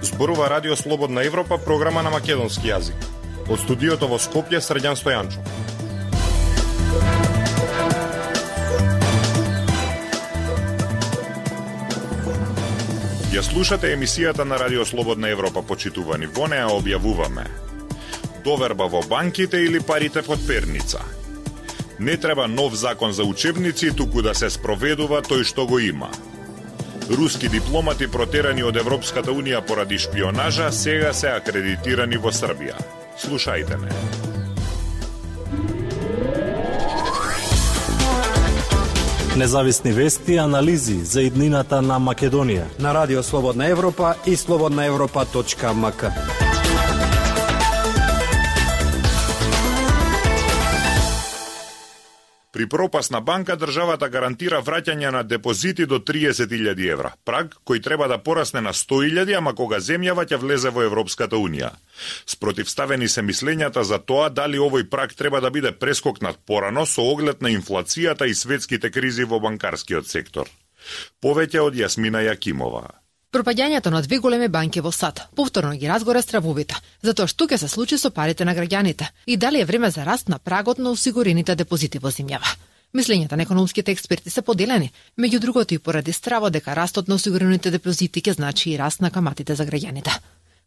Зборува Радио Слободна Европа, програма на македонски јазик. Од студиото во Скопје, Срđan Стојанчо. Ја слушате емисијата на Радио Слободна Европа, почитувани. Во неа објавуваме: доверба во банките или парите под перница. Не треба нов закон за учебници, туку да се спроведува тој што го има. Руски дипломати протерани од Европската Унија поради шпионажа сега се акредитирани во Србија. Слушајте ме. Независни вести и анализи за иднината на Македонија на Радио Слободна Европа и slobodnaevropa.mk. При пропасна банка државата гарантира враќање на депозити до 30.000 евра, праг кој треба да порасне на 100.000, ама кога земјава ќе влезе во Европската Унија. Спротивставени се мислењата за тоа дали овој праг треба да биде прескокнат порано со оглед на инфлацијата и светските кризи во банкарскиот сектор. Повеќе од Јасмина Јакимова. Пропаѓањето на две големи банки во САД повторно ги разгора стравовите, затоа што ќе се случи со парите на граѓаните и дали е време за раст на прагот на осигурените депозити во земјава. Мислењата на економските експерти се поделени, меѓу другото и поради страво дека растот на осигурените депозити ќе значи и раст на каматите за граѓаните.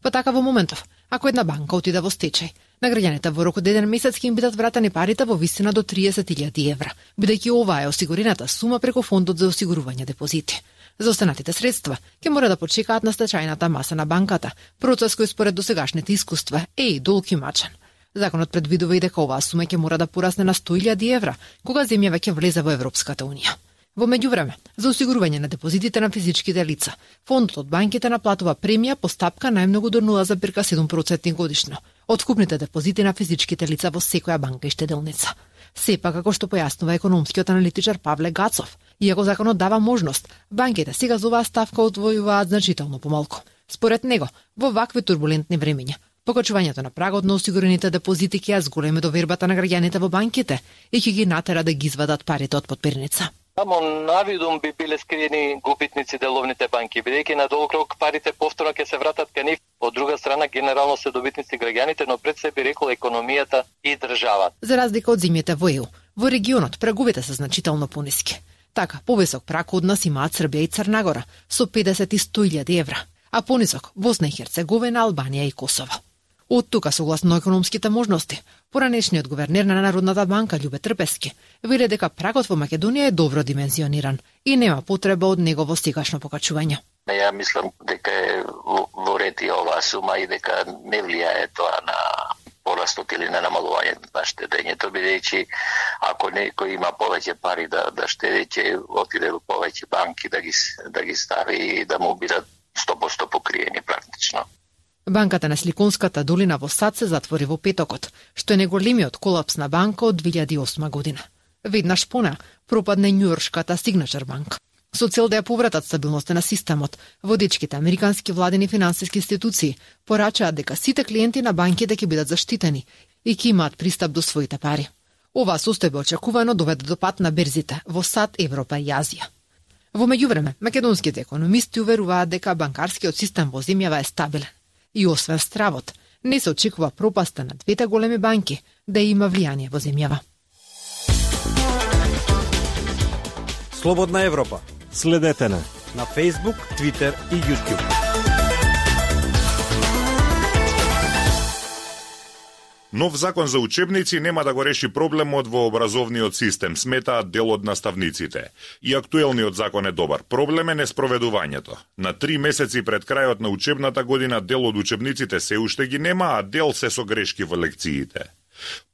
Па така во моментов, ако една банка отиде во стечај, на граѓаните во рок од 1 месец ќе им бидат вратени парите во висина до 30.000 евра, бидејќи ова е осигурената сума преку фондот за осигурување депозити. За останатите средства ќе мора да почекаат на стечајната маса на банката, процес кој според досегашните искуства е и долг и мачен. Законот предвидува и дека оваа сума ќе мора да порасне на 100.000 евра, кога земјава ќе влезе во Европската Унија. Во меѓувреме, за осигурување на депозитите на физичките лица, фондот од банките наплатува премија по стапка најмногу до 0,7% годишно од вкупните депозити на физичките лица во секоја банка и штеделница. Сепак, како што појаснува економскиот аналитичар Павле Гацов, иако законот дава можност, банките сега за оваа ставка одвојуваат значително помалку. Според него, во вакви турбулентни времиња, покачувањето на прагот на осигурените депозити ќе ја зголеми довербата на граѓаните во банките и ќе ги натера да ги извадат парите од подперница. Само навидум би биле скриени губитници деловните банки, бидејќи на долг рок парите повторно ќе се вратат кај нив. Од друга страна, генерално се добитници граѓаните, но пред се би рекол економијата и државата. За разлика од земјите во ЕУ, во регионот праговите се значително пониски. Така, повисок праг од нас имаат Србија и Црна Гора со 50 и 100.000 евра, а понисок Босна и Херцеговина, Албанија и Косово. Од тука, согласно економските можности, поранешниот гувернер на Народната банка Љубе Трпески вели дека прагот во Македонија е добро димензиониран и нема потреба од негово сегашно покачување. Ја мислам дека е во ред и оваа сума и дека не влијае тоа на порастот или на намалувањето на штедењето, бидејќи ако некој има повеќе пари да штеди, ќе отиде во повеќе банки да ги стави и да му бидат 100% покриени практично. Банката на Сликонската долина во САД се затвори во петокот, што е најголемиот колапс на банка од 2008 година. Веднаш по неа пропадне њујоршката Signature Bank. Со цел да ја повратат стабилноста на системот, водечките американски владени финансиски институции порачаат дека сите клиенти на банките ќе бидат заштитени и ќе имаат пристап до своите пари. Оваа состојба очекувано доведе до пат на берзите во САД, Европа и Азија. Во меѓувреме, македонските економисти уверуваат дека банкарскиот систем во земјава е стабилен. И освен стравот, не се очекува пропаста на двете големи банки да има влијание во земјава. Слободна Европа. Следете на Facebook, Twitter и YouTube. Нов закон за учебници нема да го реши проблемот во образовниот систем, сметаат дел од наставниците. И актуелниот закон е добар. Проблем е неспроведувањето. На 3 месеци пред крајот на учебната година дел од учебниците се уште ги нема, а дел се со грешки во лекциите.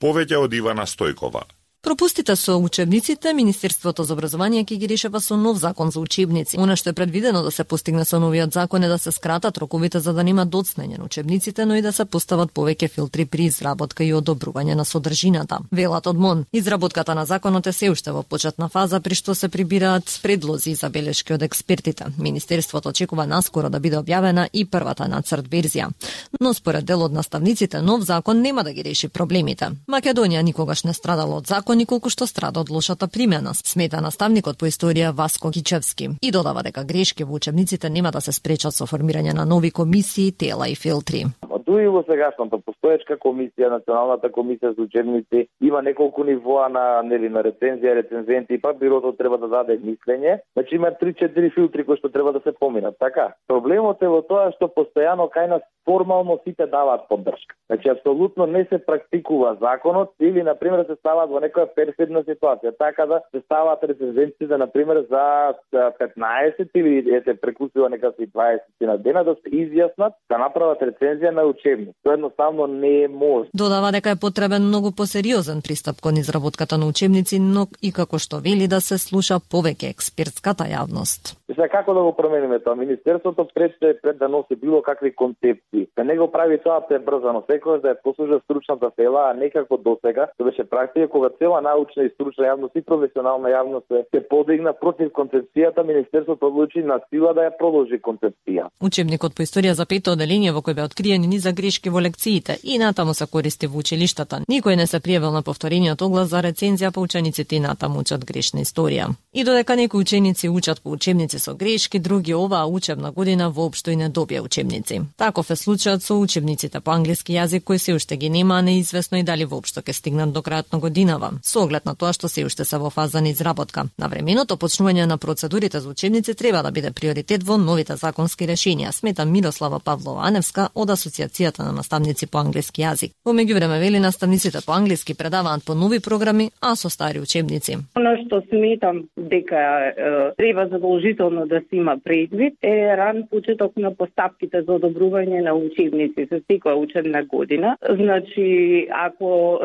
Повеќе од Ивана Стојкова. Пропустите со учебниците, Министерството за образование ќе ги решава со нов закон за учебници. Она што е предвидено да се постигне со новиот закон е да се скратат роковите за да нема доцнење на учебниците, но и да се постават повеќе филтри при изработка и одобрување на содржината. Велат од МОН, изработката на законот е се уште во почетна фаза, при што се прибираат предлози и забелешки од експертите. Министерството очекува наскоро да биде објавена и првата нацрт верзија. Но според дел од наставниците, нов закон нема да ги реши проблемите. Македонија никогаш не страдала од закон иако николку што страда од лошата примена, смета наставникот по историја Васко Кичевски. И додава дека грешки во учебниците нема да се спречат со формирање на нови комисии, тела и филтри. Дуи во сегашната постоечка комисија, Националната комисија за учебници, има неколку нивоа на рецензија, рецензенти, па бирото треба да даде мислење. Значи има 3-4 филтри кои што треба да се поминат, така? Проблемот е во тоа што постојано кај нас формално сите даваат поддршка. Значи апсолутно не се практикува законот или на пример се ставаат во некоја перфидна ситуација, така да се ставаат рецензенците на пример за 15 или прекусува некакви 20 на дена да се изјаснат, да направат рецензија на учебник. Тоа едноставно не е можно. Додава дека е потребен многу посериозен пристап кон изработката на учебници, но и како што вели да се слуша повеќе експертската јавност. Сега како да го промениме тоа? Министерството пред да носи било какви концепции. Да не го прави тоа пребрзано, секогаш да ја послужа стручната села, а не како досега, што беше практика кога цела научна и стручна јавност и професионална јавност се подигна против концепцијата, министерството одлучи на сила да ја продолжи концепција. Учебникот по историја за пето оделение во кој беа откриени низа грешки во лекциите и натаму се користи во училиштата. Никој не се пријавил на повторениот оглас за рецензија, па учениците и натаму учат грешна историја. И додека некои ученици учат по учебници со грешки, други оваа учебна година воопшто и не добија учебници. Таков е случајот со учебниците по англиски јазик кои се уште ги нема, неизвестно и дали воопшто ќе стигнат до крајот на годинава. Со оглед на тоа што се уште се во фаза на изработка. Навременото почнување на процедурите за учебници треба да биде приоритет во новите законски решенија, смета Мирослава Павлова-Аневска од Асоциацијата на наставници по англиски јазик. Во меѓувреме вели наставниците по англиски предаваат по нови програми, а со стари учебници. Она што сметам дека треба задолжително да се има предвид е ран почеток на постапките за одобрување на учебници за секоја учебна година. Значи, ако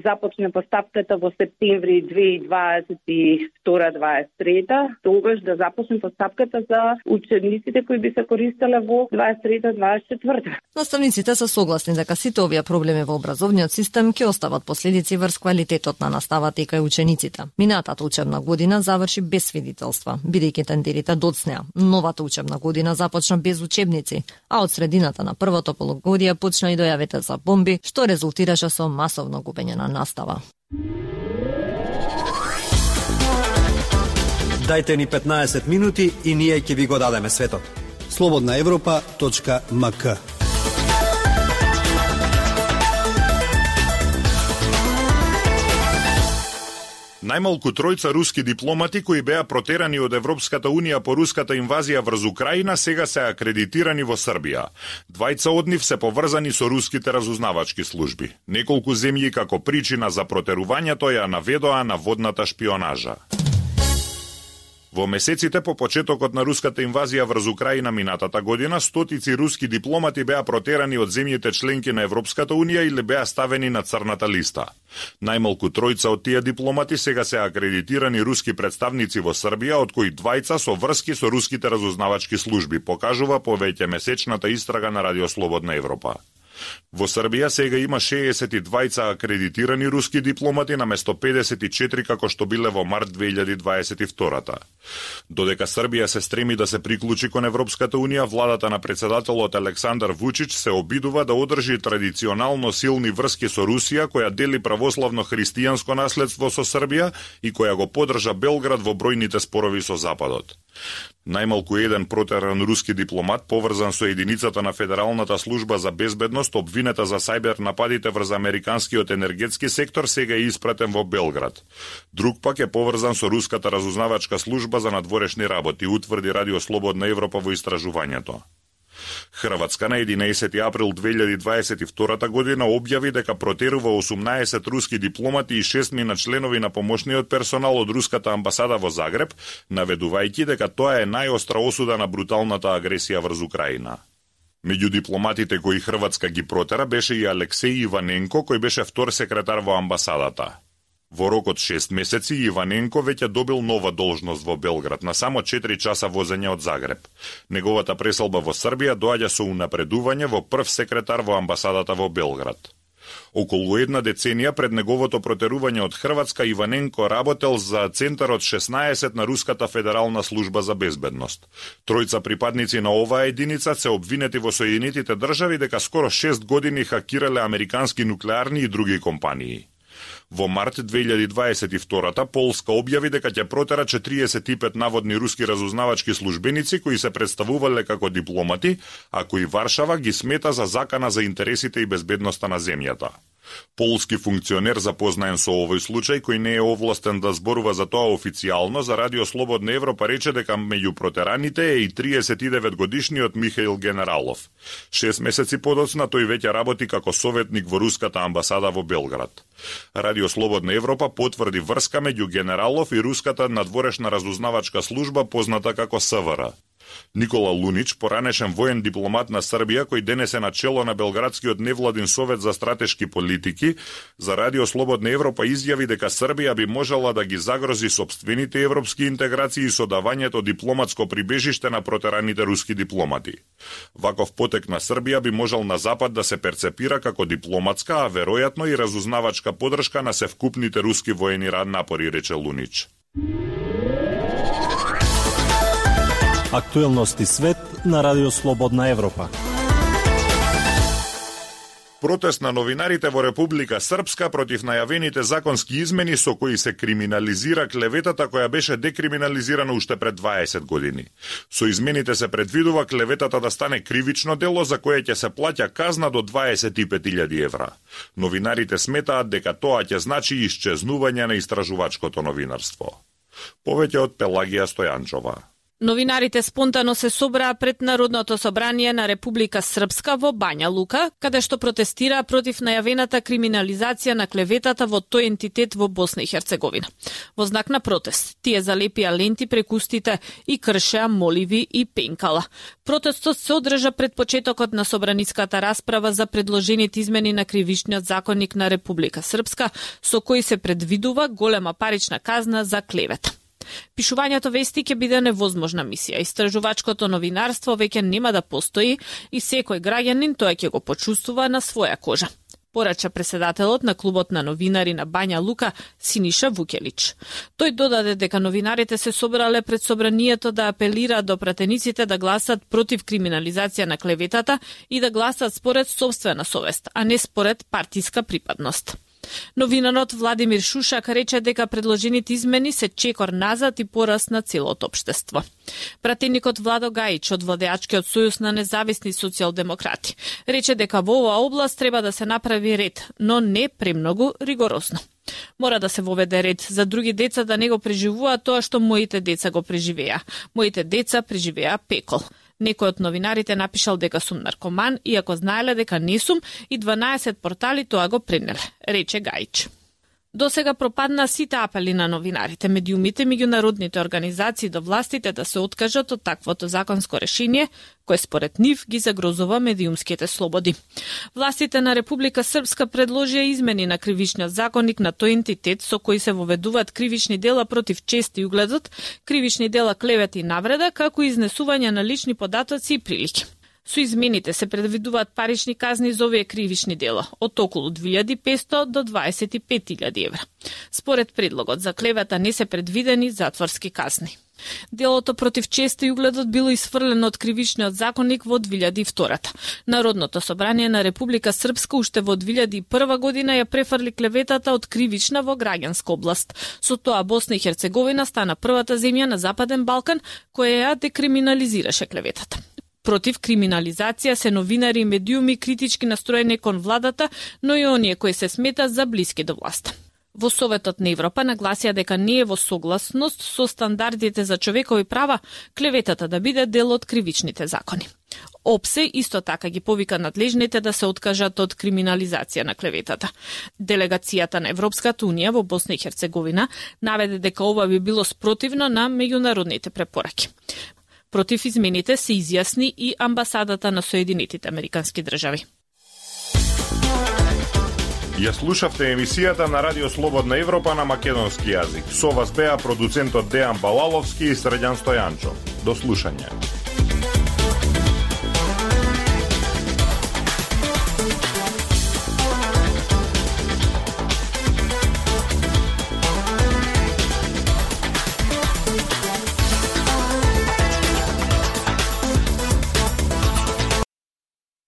започне постапката во септември 2022-2023, тогаш да започне постапката за учебниците кои би се користеле во 2023-2024. Наставниците се согласни дека сите овие проблеми во образовниот систем ќе остават последици врз квалитетот на наставата и кај учениците. Минатата учебна година заврши без свидетелства, бидејќи тендерите доцнеа. Новата учебна година започна без учебници, а од средината на првото полугодие почна и дојавите за бомби, што резултираше со масовно губење на настава. Дајте ни 15 минути и ние ќе ви го дадеме светот. slobodnaevropa.mk. Најмалку тројца руски дипломати кои беа протерани од Европската унија по руската инвазија врз Украина сега се акредитирани во Србија. Двајца од нив се поврзани со руските разузнавачки служби. Неколку земји како причина за протерувањето ја наведоа на водната шпионажа. Во месеците по почетокот на руската инвазија врз Украина минатата година, стотици руски дипломати беа протерани од земјите членки на Европската унија или беа ставени на црната листа. Најмалку тројца од тие дипломати сега се акредитирани руски представници во Србија, од кои двајца со врски со руските разузнавачки служби, покажува повеќе месечната истрага на Радио Слободна Европа. Во Србија сега има 62 акредитирани руски дипломати наместо 54 како што биле во март 2022-та. Додека Србија се стреми да се приклучи кон Европската унија, владата на председателот Александар Вучич се обидува да одржи традиционално силни врски со Русија, која дели православно-христијанско наследство со Србија и која го поддржа Белград во бројните спорови со Западот. Најмалку еден протеран руски дипломат, поврзан со единицата на Федералната служба за безбедност, обвинета за сајбер нападите врз американскиот енергетски сектор, сега е испратен во Белград. Друг пак е поврзан со руската разузнавачка служба за надворешни работи, утврди Радио Слободна Европа во истражувањето. Хрватска на 11 април 2022 година објави дека протерува 18 руски дипломати и 6 мина членови на помошниот персонал од руската амбасада во Загреб, наведувајќи дека тоа е најостра осуда на бруталната агресија врз Украина. Меѓу дипломатите кои Хрватска ги протера беше и Алексеј Иваненко, кој беше втор секретар во амбасадата. Во рок од 6 месеци Иваненко веќе добил нова должност во Белград на само 4 часа возење од Загреб. Неговата преселба во Србија доаѓа со унапредување во прв секретар во амбасадата во Белград. Околу една деценија пред неговото протерување од Хрватска, Иваненко работел за Центарот 16 на Руската федерална служба за безбедност. Тројца припадници на оваа единица се обвинети во Соединетите држави дека скоро 6 години хакирале американски нуклеарни и други компании. Во март 2022 Полска објави дека ќе протера 45 наводни руски разузнавачки службеници кои се представувале како дипломати, а кои Варшава ги смета за закана за интересите и безбедноста на земјата. Полски функционер запознаен со овој случај, кој не е овластен да зборува за тоа официјално, за Радио Слободна Европа рече дека меѓу протераните е и 39 годишниот Михаил Генералов. 6 месеци подоцна тој веќе работи како советник во руската амбасада во Белград. Радио Слободна Европа потврди врска меѓу Генералов и руската надворешна разузнавачка служба позната како СВР. Никола Лунич, поранешен воен дипломат на Србија, кој денес е на чело на Белградскиот невладин совет за стратешки политики, за Радио Слободна Европа изјави дека Србија би можела да ги загрози сопствените европски интеграции со давањето дипломатско прибежиште на протераните руски дипломати. Ваков потек на Србија би можел на Запад да се перцепира како дипломатска, а веројатно и разузнавачка подршка на севкупните руски воени напори, рече Лунич. Актуелности свет на Радио Слободна Европа. Протест на новинарите во Република Српска против најавените законски измени со кои се криминализира клеветата која беше декриминализирана уште пред 20 години. Со измените се предвидува клеветата да стане кривично дело за кое ќе се плаќа казна до 25.000 евра. Новинарите сметаат дека тоа ќе значи исчезнување на истражувачкото новинарство. Повеќе од Пелагија Стојанчова. Новинарите спонтано се собраа пред Народното собрание на Република Српска во Бања Лука, каде што протестираа против најавената криминализација на клеветата во тој ентитет во Босна и Херцеговина. Во знак на протест, тие залепија ленти преку устите и кршеа моливи и пенкала. Протестот се одржа пред почетокот на собраниската расправа за предложените измени на кривичниот законник на Република Српска, со кои се предвидува голема парична казна за клевета. Пишувањето вести ќе биде невозможна мисија. Истражувачкото новинарство веќе нема да постои и секој граѓанин тоа ќе го почувствува на своја кожа, порача преседателот на клубот на новинари на Бања Лука Синиша Вукелич. Тој додаде дека новинарите се собрале пред собранието да апелираат до пратениците да гласат против криминализација на клеветата и да гласат според собствена совест, а не според партиска припадност. Новинарот Владимир Шушак рече дека предложените измени се чекор назад и пораст на целото општество. Пратеникот Владо Гајич од Владеачкиот сојуз на независни социјалдемократи рече дека во оваа област треба да се направи ред, но не премногу ригорозно. Мора да се воведе ред за други деца да не го преживуваат тоа што моите деца го преживеа. Моите деца преживеа пекол. Некој од новинарите напишал дека сум наркоман, иако знаеле дека не сум, и 12 портали тоа го пренеле, рече Гајич. До сега пропадна сите апели на новинарите, медиумите, меѓународните организации до властите да се откажат од таквото законско решение, кое според нив ги загрозува медиумските слободи. Властите на Република Српска предложија измени на кривичниот законник на тој ентитет со кои се воведуваат кривични дела против чест и угледот, кривични дела клевета и навреда, како и изнесување на лични податоци и прилики. Со измените се предвидуваат парични казни за овие кривични дела, од околу 2500 до 25.000 евра. Според предлогот за клевета не се предвидени затворски казни. Делото против чест и угледот било исфрлено од кривичниот законник во 2002. Народното собрание на Република Српска уште во 2001 година ја префрли клеветата од кривична во граѓанска област. Со тоа Босна и Херцеговина стана првата земја на Западен Балкан која ја декриминализираше клеветата. Против криминализација се новинари и медиуми критички настроени кон владата, но и оние кои се сметат за блиски до власта. Во Советот на Европа нагласија дека не е во согласност со стандардите за човекови права клеветата да биде дел од кривичните закони. ОПСЕ исто така ги повика надлежните да се откажат од криминализација на клеветата. Делегацијата на Европската унија во Босна и Херцеговина наведе дека ова би било спротивно на меѓународните препораки. Против измените се изјасни и амбасадата на Соединетите Американски држави. Ја слушавте емисијата на Радио Слободна Европа на македонски јазик. Со вас беа продуцентот Дејан Балаловски и Срđan Стојанчов. До слушање.